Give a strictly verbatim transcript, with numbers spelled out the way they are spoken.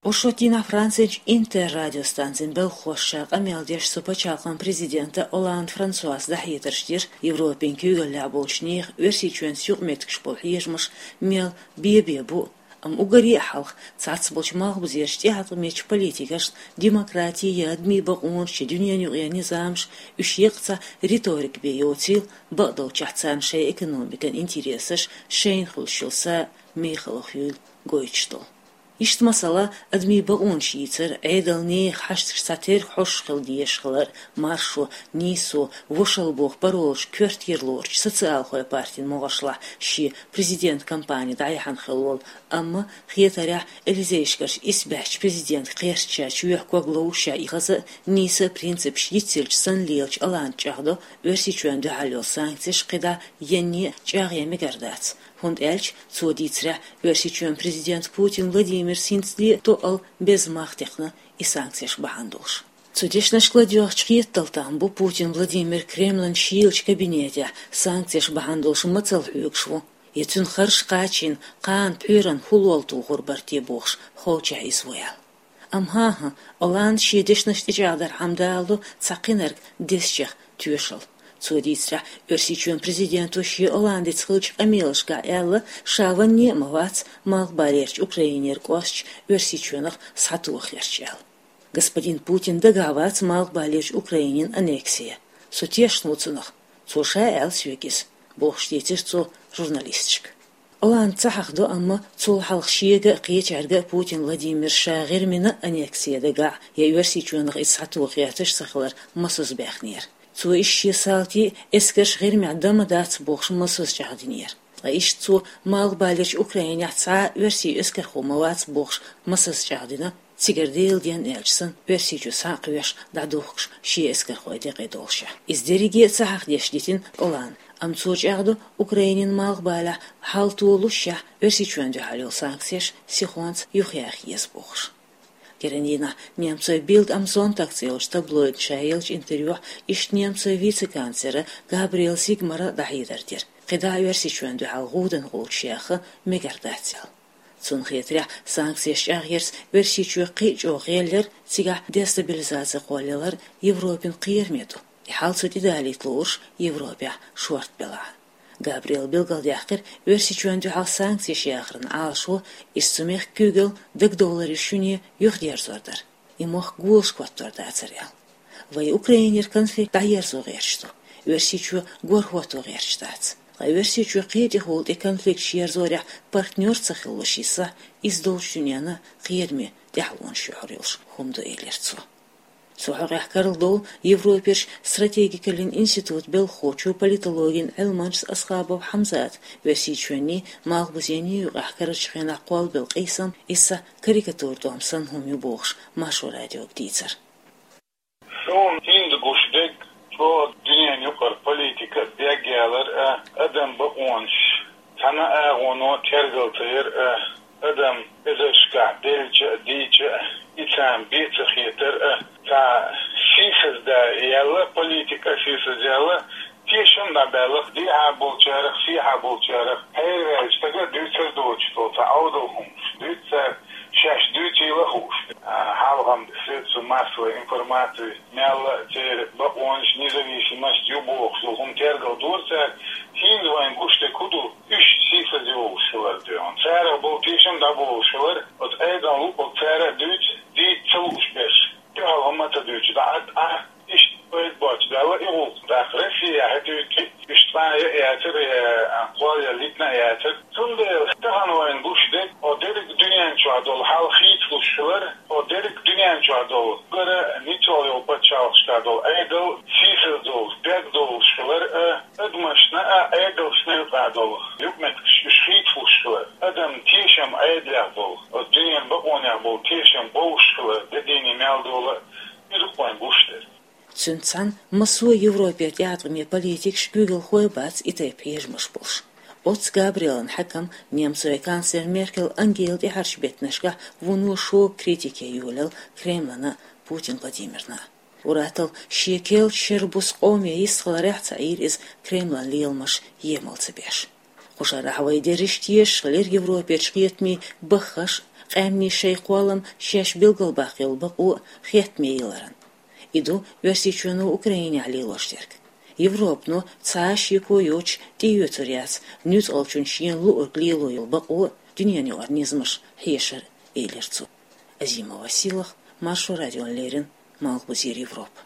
Оршотдийнахь Францерчу Интер радиостанцин белхахошка къамел деш цу пачхьалкхан президента Олланд Франсуас дӀахьедарш дира Европин куьйгаллехь болчу нехан Оьрсийчоьнца юкъаметтигаш болу хьежамаш мел бен-бен бу, амма уггаре а хьалха цхьацца болчу малхбузерчу тӀеӀаткъамечу политикашна демократи я адамийн бакъонаш я дуьненан юкъара низамаш, уьш еккъа цхьа риторика бен йоцийла, бакъдолчехь царна шайн экономикан интересаш шайна хуьлуш йолу са мехала хуьйла гойтуш долу. Иштта, масала, адамийн бакъонаш йийцар, Ӏедална нехан хьашташ цхьатерра хьоьжуш хила дезаш хилар, маршо, нийсо, вошалла боху паролаш коьртера лоручу социалхойн партин могӀаршлахь шен президент кампани дӀаяхьна хилла волу, амма, хетарехь, Элизейшкарчу исбаьхьчу президентан кхерчачу чоьхьа ког ловзуш а, и хаза а, нийса а принципаш йицъелча санна лелачу Олланда чӀагӀдо, Оьрсийчоьнна дуьхьал йолу санкцеш кхидӀа янне а чӀагӀъян мегар дац. ХӀунда аьлча, цо дийцарехь, Оьрсийчоьнан президент Путин Владимирс хӀинцале а тоъал беза мах текхна и санкцеш бахьана долуш. Цу дешнашка ладоьгӀучу хеттал там бу, Путин Владимир Кремлан шийлачу кабинетехь санкцеш бахьана долуш мацалла хьоьгуш ву, я цуьнан харш кхачийна, кхана пхьоьран хӀуллол тухур бара те бохуш, ховшахь иза ву аьлла. Амма хӀан-хӀа, Олланда шен дешнаш тӀечӀагӀдархьама даладо цхьа кхинарг дезачех тоьшалла. Цо дийцарехь, Оьрсийчоьнан президенто шен Олландица хиллачу къамелашкахь аьлла, ша ванне а ма вац Малхбалерчу Украинера кӀошташ Оьрсийчоьнах схьатоха гӀерташ аьлла. Господин Путин дагахь вац Малхбалерчу Украинин аннекси. Со тешна ву цунах. Цо ша аьлла соьга иза, бохуш дийцира цо журналисташка. Олланда ца хьахдо, амма цул хьалха шега а, кхечаьрга а Путин Владимира ша ГӀирмина аннекси дагахь я Оьрсийчоьнах иза схьатоха гӀерташ ца хилар масазза баьхнера. Цо иштта шен салтий а, эскарш ГӀирмехь дан ма дац бохуш масазза чӀагӀдинера. Ткъа иштта цо Малхбалерчу Украинехь цхьа а оьрсийн эскархо ма вац бохуш масазза чӀагӀдина, цигара Делан денна аьлча санна, Оьрсийчу схьа а кхоьхьуш, дӀадухкуш шен эскархойн декъе долушехь. Иза дерриге а ца хьахдеш дитина Олланда, амма цо чӀагӀдо, Украинин малхбалехь хьал толушшехь, Оьрсийчоьнна дуьхьал йолу санкцеш сихонца юхаяха еза бохуш. Кхечу дийнахь немцойн Bild am Sonntag цӀе йолчу таблоидна ша еллачу интервьюхь иштта немцойн вице-канцлера Габриэл Зигмара дӀахьедар дира, кхидӀа Оьрсийчоьнна дуьхьал гӀуданан гӀулчаш яха мегар дац аьлла. Цунна хетарехь, санкцеш чӀагӀъярца Оьрсийчоь кхин а чӀогӀа гӀелъяр, цигахь дестабилизаци кхоллаялар Европин кхераме ду, и хьал цу тӀедалийта лууш Европехь шорта белахь. Габриэла билгалдаьккхира, Оьрсийчоьнна дуьхьал санкцеш яхаран Ӏалашо, иза цу мехкан куьйгалла дагадовларан шуьне юхадерзор дара, и мохк голашка хӀоттор дацара аьлла. Вай Украинера конфликт дӀаерзо гӀерташ ду, Оьрсийчоь гор хӀотто гӀерташ дац. Ткъа Оьрсийчоь кхетий хӀула тӀе конфликташ ерзорехь партнёр ца хилалуш йисахь, иза долчу дуьненна кхераме тӀаьхьалонаш юьхьар йолуш хӀума ду, элира цо. Цу хьокъехь карладовлу Европерчу стратегикаллин институтан белхахочо, политологин Ӏилманчас Асхабов Хьамзата Оьрсийчоьнний, Малхбузенний юкъахь карарчу хенахь кхоллабелла къийсам, иза карикатура тӀом санна хӀума ю бохуш, Маршо радиога дийцира. Суна хӀинца гуш дерг чӀогӀа дуьненан юкъара политика бегъялар а, адам бакъонаш цхьана агӀоно тергал ца яр а, адам эзаршкахь делча а, дийча а, и царна бен ца хетар а, цхьа сийсаздаьлла политика, сийсаздаьлла тешам дӀабаьлла дехьа болчарах, сехьа болчарах, хьерваьллачу стага дуьйцур доцуш долу цхьа Ӏовдал хӀуманаш дуьйцу цара, шаьш дуьйцийла а хууш. А, хьалха-м средства массовой информации мелла а церан бакъонаш, независимость ю бохуш долу хӀума тергал дора цара, хӀинца вайна гуш дерг хӀун ду, уьш сийсаз йолуш хилар дуьйна. Царах болу тешам дӀаболуш хилар, оцу Ӏедална луъург цара а дуьйцу, дийца ца лууш берш. Дуьхьал хӀума ца дуьйцу, дӀа а, дӀа а, иштта пайда боцуш даьлла и гӀуллакх. ТӀаккха Россия хӀетуьйту, уьш цкъа а яцара, я кхолла я литина а яцара. Цундела тахана вайна гуш дерг, о дерриг дуьнен чохь долу хьал хийцалуш хилар, о дерриг дуьнен чохь долу, гара ницкъал йолу пачхьалкхашкахь долу Ӏедал сийсаз долуш, бегдолуш хилар а, адамашна а, Ӏедалшна а юкъахь долу юкъаметтигаш уьш хийцалуш хилар. Адам тешам Ӏедалех болу, оцу дуьненан бакъонех болу тешам бовш хилар, де дийне мел дола а, иза вайна гуш дерг. Цуьнца цхьаьна массо а Европера тӀеӀаткъаме политикаш, куьйгалхой бац и тайпа хьежамаш болуш. Оццу Габриэлан хьаькам немцойн канцлер Меркель Ангела тӀаьхьарчу беттанашкахь вуно шога критике йолаелла Кремлана а, Путин Владимирна а. Ур-атталла шен керлачу шеран буса къоме йистхиларехь а ца Ӏийра иза Кремлан леламаш емал ца беш. Кху шарахь вай дерриш тешаш хилира Европерчу кхетамийн баххаш а, къаьмнийн шоай кхоллам шоаш билгалбаккха йола бакъо хеттаме яларна. И ду Оьрсийчоно Украинехь лелош дерг. Европано цхьа а шеко йоцуш тӀеоьцур яц нуьцкъалчун шена луург лело йола бакъо дуьненаюкъара низамаш хьешар, элира цо. Азимова Силах, Маршо радиона леррина, Малхбузера Европа.